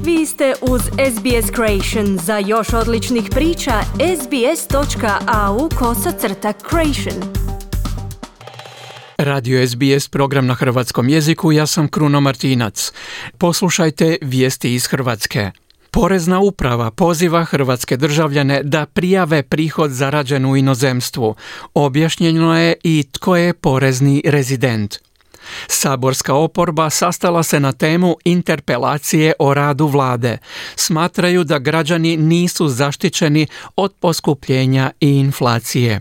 Vi ste uz SBS Creation. Za još odličnih priča, sbs.au/creation. Radio SBS, program na hrvatskom jeziku, ja sam Kruno Martinac. Poslušajte vijesti iz Hrvatske. Porezna uprava poziva hrvatske državljane da prijave prihod zarađen u inozemstvu. Objašnjeno je i tko je porezni rezident. Saborska oporba sastala se na temu interpelacije o radu vlade. Smatraju da građani nisu zaštićeni od poskupljenja i inflacije.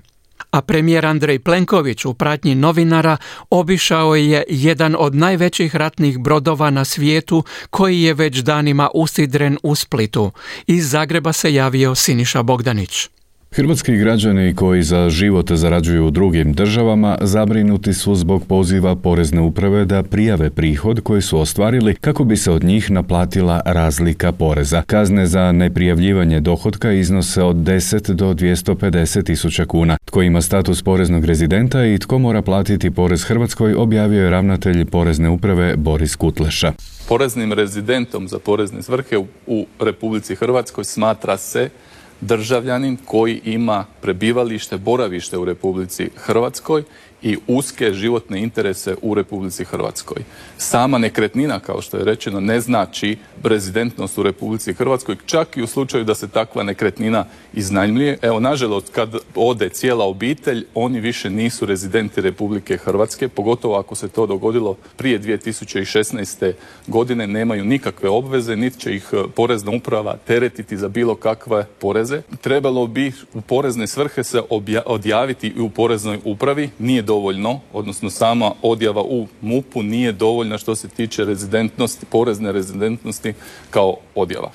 A premijer Andrej Plenković u pratnji novinara obišao je jedan od najvećih ratnih brodova na svijetu koji je već danima usidren u Splitu. Iz Zagreba se javio Siniša Bogdanić. Hrvatski građani koji za život zarađuju u drugim državama zabrinuti su zbog poziva Porezne uprave da prijave prihod koji su ostvarili kako bi se od njih naplatila razlika poreza. Kazne za neprijavljivanje dohotka iznose od 10 do 250 tisuća kuna. Tko ima status poreznog rezidenta i tko mora platiti porez Hrvatskoj, objavio je ravnatelj Porezne uprave Boris Kutleša. Poreznim rezidentom za porezne svrhe u Republici Hrvatskoj smatra se državljanin koji ima prebivalište, boravište u Republici Hrvatskoj i uske životne interese u Republici Hrvatskoj. Sama nekretnina, kao što je rečeno, ne znači rezidentnost u Republici Hrvatskoj, čak i u slučaju da se takva nekretnina iznajmljuje. Evo, nažalost, kad ode cijela obitelj, oni više nisu rezidenti Republike Hrvatske, pogotovo ako se to dogodilo prije 2016. godine, nemaju nikakve obveze, niti će ih Porezna uprava teretiti za bilo kakve poreze. Trebalo bi u porezne svrhe se odjaviti i u Poreznoj upravi, nije dovoljno, odnosno sama odjava u MUP-u nije dovoljna što se tiče rezidentnosti, porezne rezidentnosti kao odjava.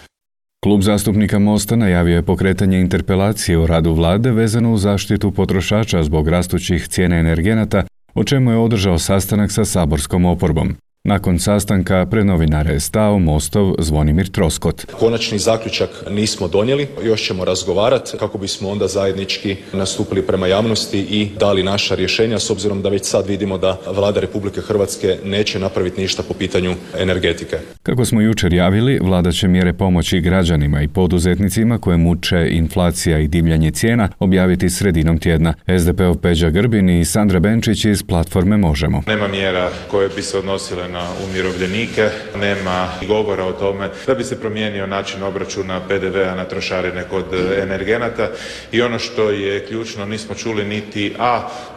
Klub zastupnika Mosta najavio je pokretanje interpelacije o radu vlade vezano uz zaštitu potrošača zbog rastućih cijena energenata, o čemu je održao sastanak sa saborskom oporbom. Nakon sastanka pred novinare je stao Mostov Zvonimir Troskot. Konačni zaključak nismo donijeli, još ćemo razgovarati kako bismo onda zajednički nastupili prema javnosti i dali naša rješenja, s obzirom da već sad vidimo da Vlada Republike Hrvatske neće napraviti ništa po pitanju energetike. Kako smo jučer javili, vlada će mjere pomoći građanima i poduzetnicima koje muče inflacija i divljanje cijena objaviti sredinom tjedna. SDP-ov Peđa Grbin i Sandra Benčić iz platforme Možemo. Nema mjera koje bi se odnosile na umirovljenike, nema govora o tome da bi se promijenio način obračuna PDV-a na trošarine kod energenata i ono što je ključno, nismo čuli niti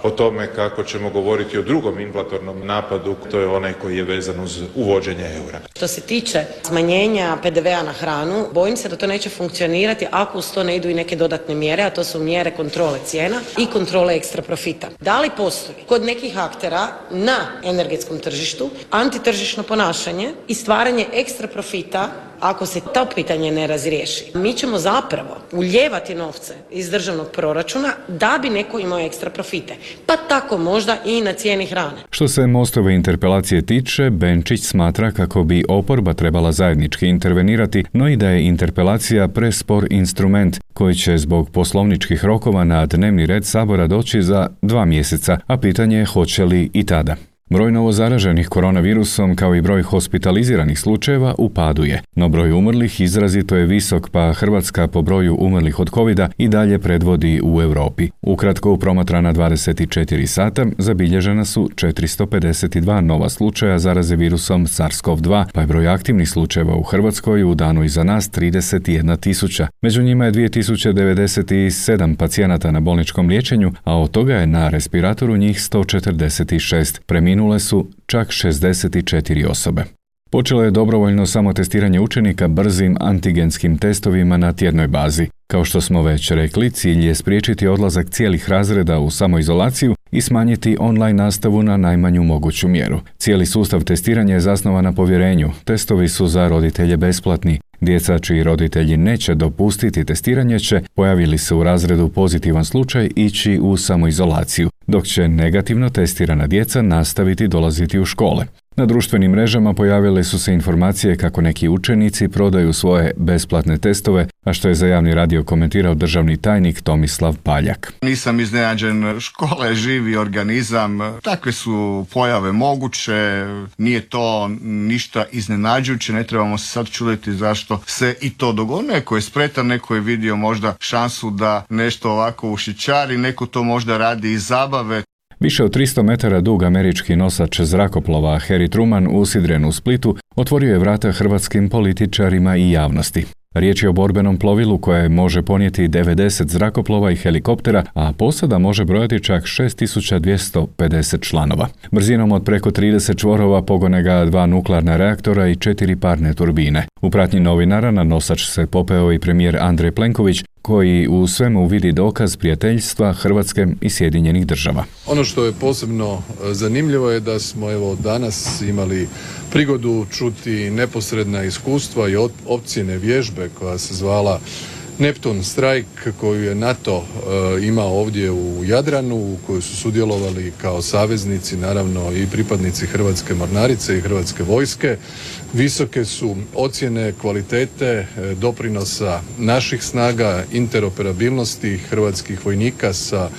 o tome kako ćemo govoriti o drugom inflatornom napadu, to je onaj koji je vezan uz uvođenje eura. Što se tiče smanjenja PDV-a na hranu, bojim se da to neće funkcionirati ako uz to ne idu i neke dodatne mjere, a to su mjere kontrole cijena i kontrole ekstra profita. Da li postoji kod nekih aktera na energetskom tržištu antitržišno ponašanje i stvaranje ekstra profita ako se to pitanje ne razriješi? Mi ćemo zapravo ulijevati novce iz državnog proračuna da bi neko imao ekstra profite, pa tako možda i na cijeni hrane. Što se Mostove interpelacije tiče, Benčić smatra kako bi oporba trebala zajednički intervenirati, no i da je interpelacija prespor instrument koji će zbog poslovničkih rokova na dnevni red Sabora doći za 2 mjeseca, a pitanje je hoće li i tada. Broj novozaraženih koronavirusom kao i broj hospitaliziranih slučajeva u padu je, no broj umrlih izrazito je visok, pa Hrvatska po broju umrlih od covida i dalje predvodi u Europi. Ukratko, u promatrana 24 sata zabilježena su 452 nova slučaja zaraze virusom SARS-CoV-2, pa je broj aktivnih slučajeva u Hrvatskoj u danu iza nas 31.000. Među njima je 2097 pacijenata na bolničkom liječenju, a od toga je na respiratoru njih 146. Preminule su čak 64 osobe. Počelo je dobrovoljno samotestiranje učenika brzim antigenskim testovima na tjednoj bazi. Kao što smo već rekli, cilj je spriječiti odlazak cijelih razreda u samoizolaciju i smanjiti online nastavu na najmanju moguću mjeru. Cijeli sustav testiranja je zasnovan na povjerenju. Testovi su za roditelje besplatni. Djeca čiji roditelji neće dopustiti testiranje će, pojavili se u razredu pozitivan slučaj, ići u samoizolaciju, dok će negativno testirana djeca nastaviti dolaziti u škole. Na društvenim mrežama pojavile su se informacije kako neki učenici prodaju svoje besplatne testove, a što je za javni radio komentirao državni tajnik Tomislav Paljak. Nisam iznenađen, škola je živi organizam, takve su pojave moguće, nije to ništa iznenađujuće, ne trebamo se sad čuditi zašto se i to dogodi. Neko je spretan, neko je vidio možda šansu da nešto ovako ušićari, neko to možda radi iz zabave. Više od 300 metara dug američki nosač zrakoplova Harry Truman usidren u Splitu otvorio je vrata hrvatskim političarima i javnosti. Riječ je o borbenom plovilu koje može ponijeti 90 zrakoplova i helikoptera, a posada može brojati čak 6250 članova. Brzinom od preko 30 čvorova pogone ga 2 nuklearna reaktora i 4 parne turbine. U pratnji novinara na nosač se popeo i premijer Andrej Plenković, koji u svemu vidi dokaz prijateljstva Hrvatske i Sjedinjenih Država. Ono što je posebno zanimljivo je da smo danas imali prigodu čuti neposredna iskustva i opcijene vježbe koja se zvala Neptun Strike, koju je NATO imao ovdje u Jadranu, u kojoj su sudjelovali kao saveznici naravno i pripadnici Hrvatske mornarice i Hrvatske vojske. Visoke su ocjene kvalitete doprinosa naših snaga, interoperabilnosti hrvatskih vojnika sa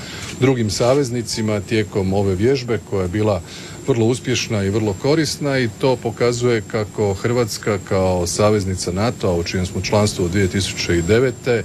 drugim saveznicima tijekom ove vježbe koja je bila vrlo uspješna i vrlo korisna, i to pokazuje kako Hrvatska kao saveznica NATO-a, u čijem smo članstvu od 2009.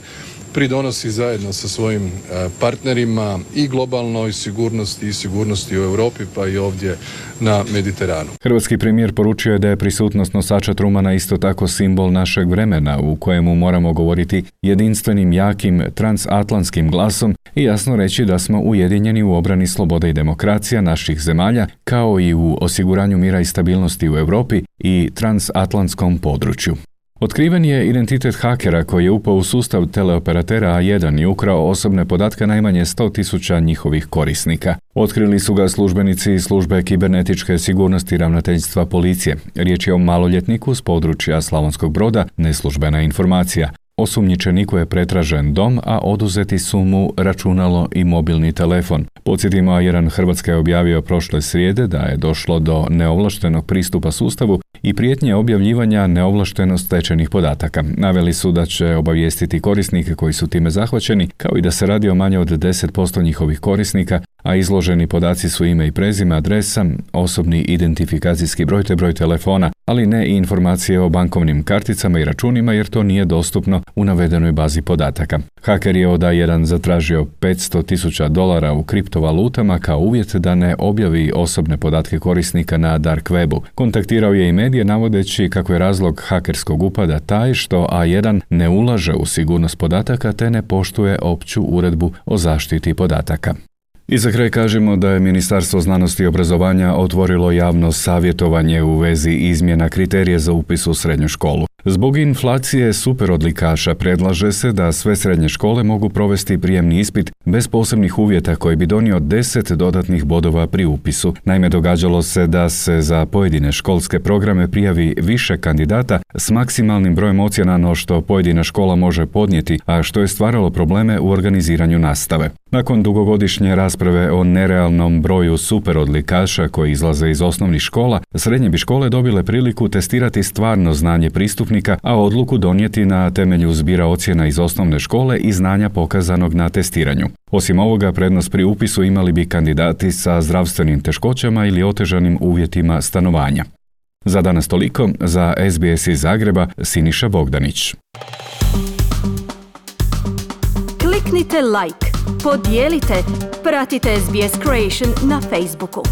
pridonosi zajedno sa svojim partnerima i globalnoj sigurnosti i sigurnosti u Europi, pa i ovdje na Mediteranu. Hrvatski premijer poručio je da je prisutnost nosača Trumana isto tako simbol našeg vremena u kojemu moramo govoriti jedinstvenim, jakim, transatlantskim glasom i jasno reći da smo ujedinjeni u obrani slobode i demokracija naših zemalja, kao i u osiguranju mira i stabilnosti u Europi i transatlantskom području. Otkriven je identitet hakera koji je upao u sustav teleoperatera A1 i ukrao osobne podatke najmanje 100.000 njihovih korisnika. Otkrili su ga službenici službe kibernetičke sigurnosti ravnateljstva policije. Riječ je o maloljetniku s područja Slavonskog Broda, neslužbena informacija. Osumnjičeniku je pretražen dom, a oduzeti su mu računalo i mobilni telefon. Podsjetimo, A1 Hrvatska je objavio prošle srijede da je došlo do neovlaštenog pristupa sustavu i prijetnje objavljivanja neovlašteno stečenih podataka. Naveli su da će obavijestiti korisnike koji su time zahvaćeni, kao i da se radi o manje od 10% njihovih korisnika, a izloženi podaci su ime i prezime, adresa, osobni identifikacijski broj te broj telefona, ali ne i informacije o bankovnim karticama i računima jer to nije dostupno u navedenoj bazi podataka. Haker je od A1 zatražio $500.000 u kriptovalutama kao uvjet da ne objavi osobne podatke korisnika na dark webu. Kontaktirao je i medije navodeći kako je razlog hakerskog upada taj što A1 ne ulaže u sigurnost podataka te ne poštuje opću uredbu o zaštiti podataka. I za kraj kažemo da je Ministarstvo znanosti i obrazovanja otvorilo javno savjetovanje u vezi izmjena kriterija za upis u srednju školu. Zbog inflacije superodlikaša predlaže se da sve srednje škole mogu provesti prijemni ispit bez posebnih uvjeta koji bi donio 10 dodatnih bodova pri upisu. Naime, događalo se da se za pojedine školske programe prijavi više kandidata s maksimalnim brojem ocjena no što pojedina škola može podnijeti, a što je stvaralo probleme u organiziranju nastave. Nakon dugogodišnje rasprave o nerealnom broju superodlikaša koji izlaze iz osnovnih škola, srednje bi škole dobile priliku testirati stvarno znanje pristupnika, a odluku donijeti na temelju zbira ocjena iz osnovne škole i znanja pokazanog na testiranju. Osim ovoga, prednost pri upisu imali bi kandidati sa zdravstvenim teškoćama ili otežanim uvjetima stanovanja. Za danas toliko, za SBS iz Zagreba, Siniša Bogdanić. Kliknite like, podijelite, pratite SBS Creation na Facebooku.